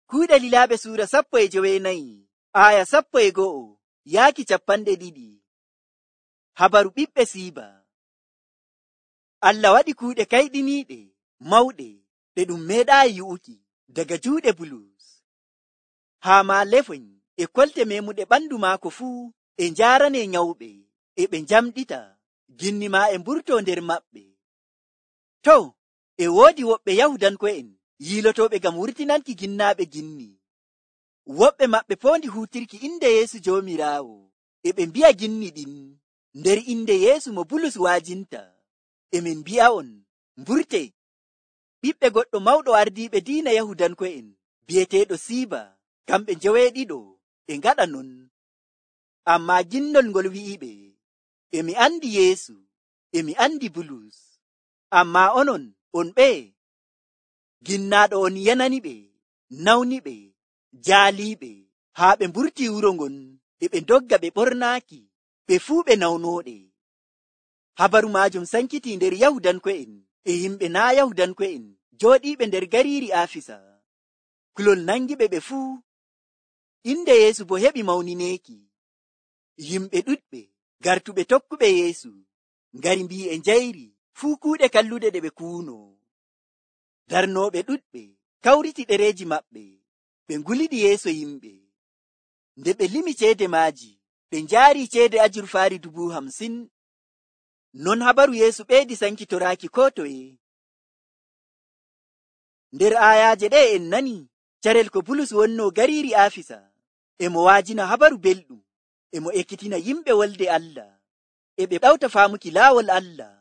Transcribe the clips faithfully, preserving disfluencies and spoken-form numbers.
Kuuɗe Lilaaɓe suura sappo e jowenayi aya sappo e go'o yaaki capanɗe ɗiɗi. Habaru ɓiɓɓe siiba. Allah waɗi kuuɗe kayɗiniiɗe mawɗe ɗe ɗum meeɗaayi yi'uki daga juuɗe Bulus. Haa maa lefoy e kolte meemuɗe ɓandu maako fuu e njaaranee nyawɓe e ɓe njamɗita ginni maa e mburtoo nder maɓɓe. To, e woodi woɓɓe Yahudanko'en yiilotooɓe ngam wurtinanki ginnaaɓe ginni. Woɓɓe maɓɓe poondi huutirki inde Yeesu Joomiraawo, e ɓe mbi'a ginni ɗin nder inde Yeesu mo Bulus waajinta. E min mbi'a'on, mburtee. Ɓiɓɓe goɗɗo mawɗo ardiiɓe diina Yahudanko'en bi'eteeɗo Siiba, kamɓe njoweeɗiɗo e ngaɗa non. Ammaa ginnol ngol wi'iɓe, e mi andi Yeesu, e mi andi Bulus. Ammaa onon, on ɓeye? Ginnaaɗo on yananiɓe, nawniɓe, jaaliiɓe, haa ɓe mburtii wuro ngon, e ɓe ndogga ɓe ɓornaaki, ɓe fuu ɓe nawnooɗe. Habaru maajum sankitii nder Yahudanko'en e yimɓe naa Yahudanko'en jooɗiiɓe nder gariiri Aafisa. Kulol nangiɓe ɓe fuu. Inde Yeesu bo heɓi mawnineeki. Yimɓe ɗuɗɓe gartuɓe tokkuɓe Yeesu ngari mbii e njayri fuu kuuɗe kalluɗe ɗe ɓe kuunoo. Darnooɓe ɗuɗɓe kawriti ɗereeji maɓɓe, ɓe nguliɗi yeeso yimɓe. Nde ɓe limi ceede maaji, ɓe njaarii ceede ajurfaari dubu hamsin. Non habaru Yeesu ɓeydi sankitoraaki koo toye. Nder aayaaje ɗe en nani carel ko Bulus wonnoo gariiri Aafisa, e mo waajina habaru belɗum, e mo ekkitina yimɓe wolde Allah, e ɓe ɗawta faamuki laawol Allah,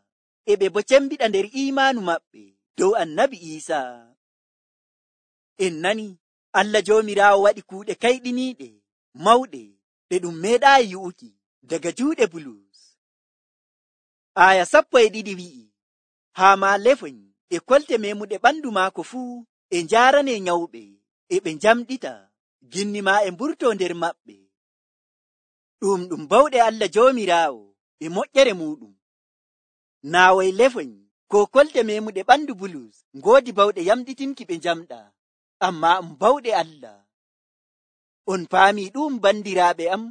e ɓe bo cembiɗa nder iimaanu maɓɓe dow Annabi Iisaa. En nani Allah Joomiraawo waɗi kuuɗe kayɗiniiɗe mawɗe ɗe ɗum meeɗaayi yi'uki daga juuɗe Bulus. Aya sappo e ɗiɗi wi'i, haa maa lefoy e kolte meemuɗe ɓandu maako fuu e njaaranee nyawɓe, e ɓe njamɗita ginni maa e mburtoo nder maɓɓe. Ɗum ɗum bawɗe Allah Joomiraawo e moƴƴere muuɗum. Naawoy lefoy ko kolte meemuɗe ɓandu Bulus ngoodi bawɗe yamɗitinki ɓe njamɗa, ammaa um bawɗe Allah. On paamii ɗum bandiraaɓe am?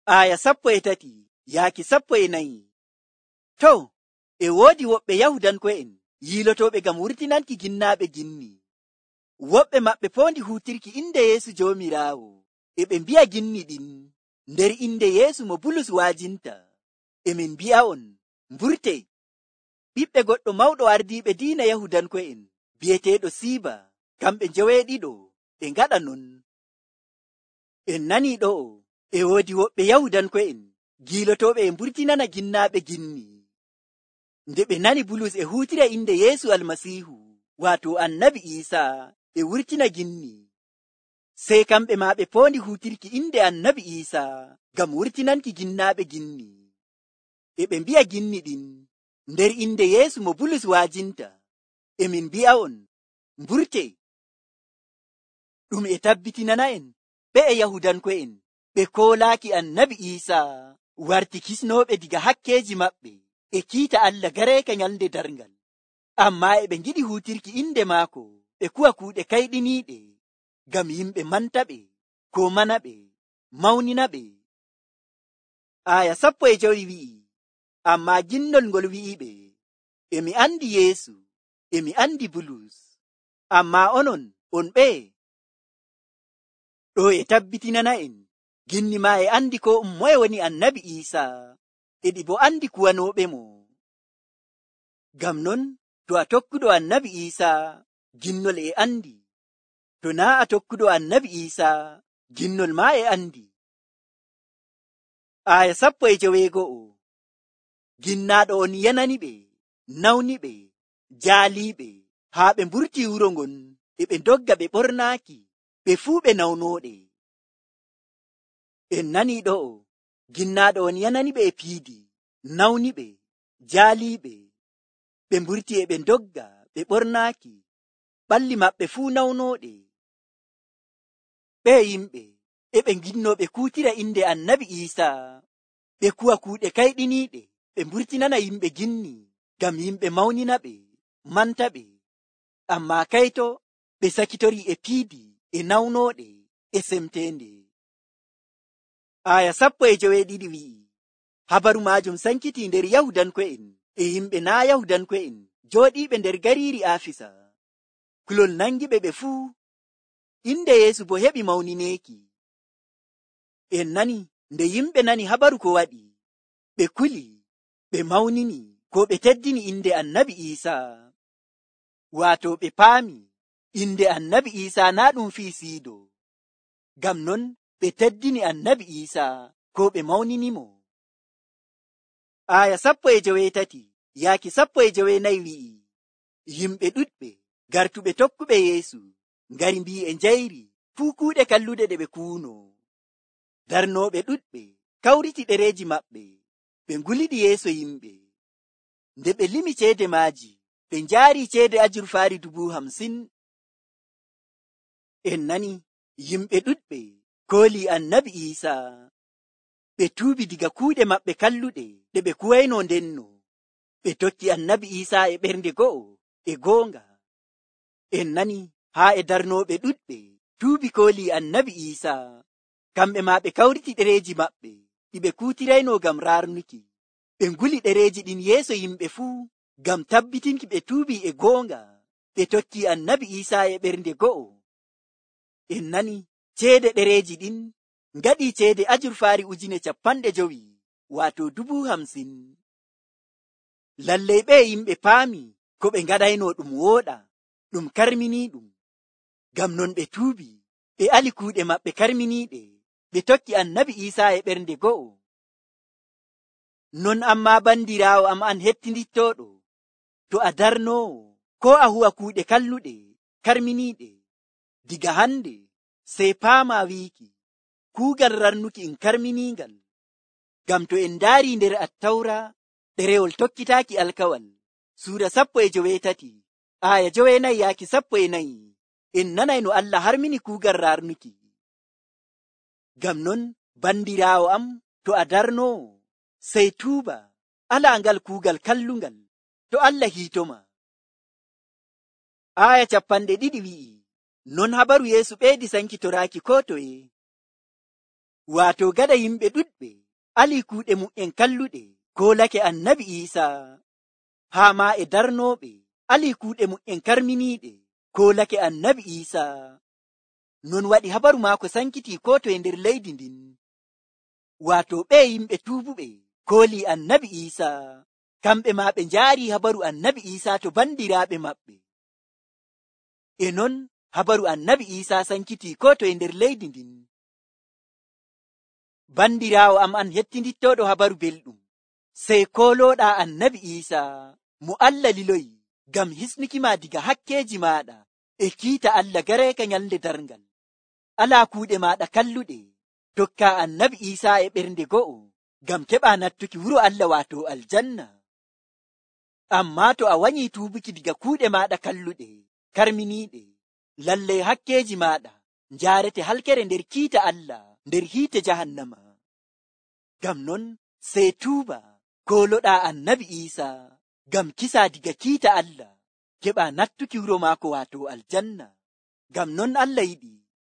Aya sappo e tati yaaki sappo e nayi. To, e woodi woɓɓe Yahudanko'en yiilotooɓe ngam wurtinanki ginnaaɓe ginni. Woɓɓe maɓɓe poondi huutirki inde Yeesu Joomiraawo, e ɓe mbi'a ginni ɗin nder inde Yeesu mo Bulus waajinta. E min mbi'a'on, mburtee. Ɓiɓɓe goɗɗo mawɗo ardiiɓe diina Yahudanko'en bi'eteeɗo Siiba, kamɓe njoweeɗiɗo e ngaɗa non. En nanii ɗo'o, e woodi woɓɓe Yahudanko'en giilotooɓe e mburtinana ginnaaɓe ginni. Nde ɓe nani Bulus e huutira inde Yeesu Almasiihu, waato Annabi Iisaa, e wurtina ginni, sey kamɓe maa ɓe poondi huutirki inde Annabi Iisaa ngam wurtinanki ginnaaɓe ginni. E ɓe mbi'a ginni ɗin nder inde Yeesu mo Bulus waajinta. E min mbi'a'on, mburtee. Ɗum e tabbitinana'en ɓe e Yahudanko'en ɓe koolaaki Annabi Iisaa warti kisnooɓe diga hakkeeji maɓɓe e kiita Allah gareeka nyalnde darngal. Ammaa e ɓe ngiɗi huutirki inde maako ɓe kuwa kuuɗe kayɗiniiɗe ngam yimɓe manta ɓe, ko mana ɓe, mawnina ɓe. Aya sappo e jowi wi'i, ammaa ginnol ngol wi'iɓe, e mi andi Yeesu, e mi andi Bulus. Ammaa onon, on ɓeye? Ɗo e tabbitinana'en ginni maa e andi ko um moye woni Annabi Iisaa, e ɗi bo andi kuwanooɓe mo. Ngam non, to a tokkuɗo Annabi Iisaa, ginnol e andi. To naa a tokkuɗo Annabi Iisaa, ginnol maa e andi. Aya sappo e joweego'o. Ginnaaɗo on yananiɓe, nawniɓe, jaaliiɓe, haa ɓe mburtii wuro ngon, e ɓe ndogga ɓe ɓornaaki, ɓe fuu ɓe nawnooɗe. En nanii ɗo'o, ginnaaɗo on yananiɓe e piidi, nawniɓe, jaaliiɓe, ɓe mburtii e ɓe ndogga ɓe ɓornaaki, ɓalli maɓɓe fuu nawnooɗe. Ɓe yimɓe e ɓe nginnoo ɓe kuutira inde Annabi Iisaa, ɓe kuwa kuuɗe kayɗiniiɗe, ɓe mburtinana yimɓe ginni, ngam yimɓe mawnina ɓe, manta ɓe. Ammaa kayto ɓe sakitori e piidi e nawnooɗe e semteende. Aya sappo e joweeɗiɗi wi'i, habaru maajum sankiti nder Yahudanko'en e yimɓe naa Yahudanko'en jooɗiiɓe nder gariiri Aafisa. Kulol nangiɓe ɓe fuu, inde Yeesu bo heɓi mawnineeki. En nani nde yimɓe nani habaru ko waɗi, ɓe kuli, ɓe mawnini, ko ɓe teddini inde Annabi Iisaa. Waato ɓe paami inde Annabi Iisaa naa ɗum fii siido. Ngam non ɓe teddini Annabi Iisaa, ko ɓe mawninimo. Aya sappo e joweetati yaaki sappo e joweenayi wi'i, yimɓe ɗuɗɓe gartuɓe tokkuɓe Yeesu ngari mbii e njayri fuu kuuɗe kalluɗe ɗe ɓe kuuno. Darnooɓe ɗuɗɓe kawriti ɗereeji maɓɓe, ɓe nguliɗi yeeso yimɓe. Nde ɓe limi ceede maaji, ɓe njaari ceede ajurfaari dubu hamsin. En nani yimɓe ɗuɗɓe koolii Annabi Iisaa. Ɓe tuubi diga kuuɗe maɓɓe kalluɗe ɗe ɓe kuwayno ndenno. Ɓe tokki Annabi Iisaa e ɓernde go'o e goonga. En nani haa e darnooɓe ɗuɗɓe tuubi koolii Annabi Iisaa. Kamɓe maa ɓe kawriti ɗereeji maɓɓe ɗi ɓe kuutirayno ngam raarnuki. Ɓe nguli ɗereeji ɗin yeeso yimɓe fuu ngam tabbitinki ɓe tuubi e goonga. Ɓe tokki Annabi Iisaa e ɓernde go'o. En nani ceede ɗereeji ɗin ngaɗi ceede ajurfaari ujune capanɗe jowi, waato dubu hamsin. Lallay ɓe yimɓe paami ko ɓe ngaɗayno ɗum wooɗa, ɗum karminiiɗum. Ngam non ɓe tuubi, ɓe ali kuuɗe maɓɓe karminiiɗe, ɓe tokki Annabi Iisaa e ɓernde go'o. Non ammaa bandiraawo am an hettindittooɗo, to a darnoowo koo a huwa kuuɗe kalluɗe karminiiɗe, diga hande sey paama wiiki kuugal rarnuki in karminiingal. Ngam to en ndaari nder Attawra ɗerewol tokkitaaki alkawal suura sappo e joweetati aya joweenayi yaaki sappo e nayi, en nanay no Allah harmini kuugal rarnuki. Ngam non bandiraawo am, to a darnoowo sey tuuba, alaa ngal kuugal kallungal, to Allah hiitoma. Aya capanɗe ɗiɗi wi'i, non habaru Yeesu ɓeydi sankitoraaki koo toye. Waato gada yimɓe ɗuɗɓe alii kuuɗe mu'en kalluɗe koolake Annabi Iisaa, haa maa e darnooɓe alii kuuɗe mu'en karminiiɗe koolake Annabi Iisaa. Non waɗi habaru maako sankiti koo toye nder leydi ndin. Waato ɓe yimɓe tuubuɓe koolii Annabi Iisaa, kamɓe maa ɓe njaari habaru Annabi Iisaa to bandiraaɓe maɓɓe. E non habaru Annabi Iisaa sankiti koo toye nder leydi ndin. Bandiraawo am an hettindittooɗo habaru belɗum, sey koolooɗaa Annabi Iisaa mo Allah liloyi ngam hisnuki ma diga hakkeeji maaɗa e kiita Allah gareeka nyalnde darngal. Alaa kuuɗe maaɗa kalluɗe, tokkaa Annabi Iisaa e ɓernde go'o ngam keɓaa nattuki wuro Allah waato aljanna. Ammaa to a wanyii tuubuki diga kuuɗe maaɗa kalluɗe karminiiɗe, lallay hakkeeji maaɗa njaarete halkere nder kiita Allah nder hiite jahannama. Ngam non sey tuuba kooloɗaa Annabi Iisaa ngam kisaa diga kiita Allah, keɓaa nattuki wuro maako waato aljanna. Ngam non Allah yiɗi